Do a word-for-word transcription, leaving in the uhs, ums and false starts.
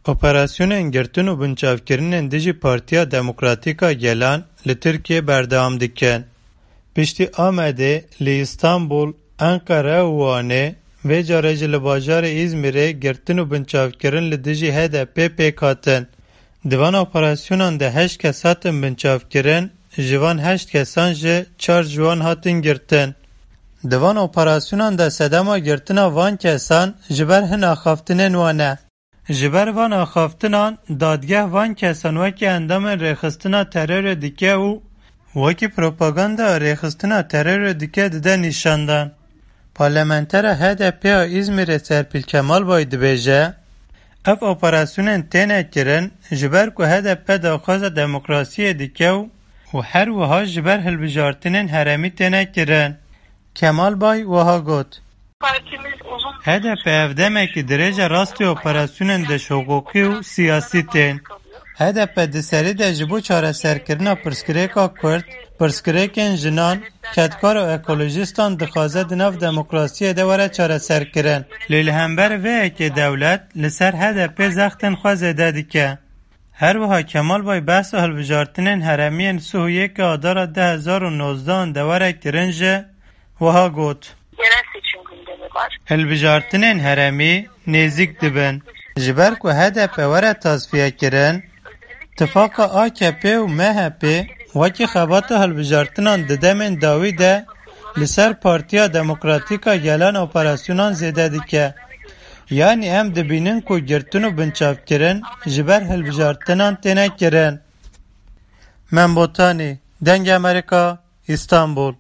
Operasyonên girtin û binçavkirinên dijî Partiya Demokratîk a Gelan li Tirkiyê berdewam dikin. Piştî Amedê, li Îstanbul, Enqere û Wanê, vê carê jî li bajarê Îzmîrê girtin û binçavkirin li dijî H D P pêk hatin. Di van operasyonan de heşt kes hatin binçavkirin, ji van heşt kesan jî çar ji wan hatin girtin. Di van operasyonan de sedema girtina van kesan ji ber hin axaftinên wan e. Ji ber van axaftinan, dadgeh van kesan wekî endamên rêxistina terorê dike û wekî propaganda rêxistina terorê dike dide nîşandan. Parlamentera H D P ya Îzmîrê Serpîl Kemalbay dibêje, ev operasyonên têne kirin, ji ber ku H D P daxwaza demokrasiyê dike û û her wiha ji ber hilbijartinên herêmî têne kirin. Kemalbay wiha got, H D P ev demekî dirêj e rastî operasyonên dişhiqûqî û siyasî tên. H D P di serî de ji bo çareserkirina pirsgirêka Kurd, pirsgirêkên jinan, kedkar û ekolojîstan dixwaze di nav demokrasiyê de were çareserkirin. Lê li hember vê yekê dewlet li ser H D P zextên xwe zêde dike. Her wiha Kemalbay behsa hilbijartinên herêmiyên sih û yekê Adara du hezar û nozdeh de were kirin jî wiha got, Yerel seçim gündemi var. Hilbijartinên herêmî nêzîk dibin. Ji ber ku H D P were tasfiye kirin, tifaqa A K P û M H P wekî xebata hilbijartinan di demên dawî de li ser Partiya Demokratîk a Gelan operasyonan zêde dike. Yanî em dibînin ku girtin û binçavkirin ji ber hilbijartinan têne kirin. Mem Botanî, Dengê Amerîka, Îstanbul.